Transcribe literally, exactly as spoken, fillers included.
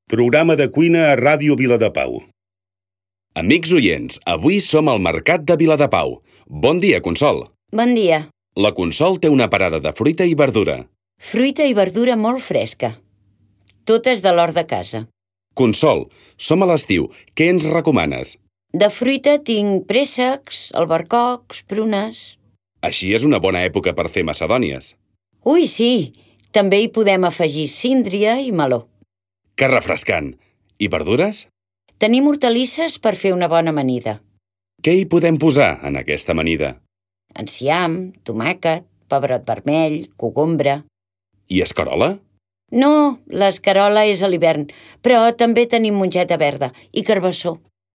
Programa de cuina a Ràdio Viladepau. Amics oients, avui som al Mercat de Viladepau. Bon dia, Consol. Bon dia. La Consol té una parada de fruita i verdura. Fruita i verdura molt fresca. Tot és de l'hort de casa. Consol, som a l'estiu. Què ens recomanes? De fruita tinc préssecs, albercocs, prunes... Així és una bona època per fer macedònies. Ui, sí! També hi podem afegir síndria i meló. Que refrescant! I verdures? Tenim hortalisses per fer una bona amanida. Què hi podem posar en aquesta amanida? Enciam, tomàquet, pebrot vermell, cogombre... I escarola? No, l'escarola és a l'hivern, però també tenim mongeta verda i carbassó.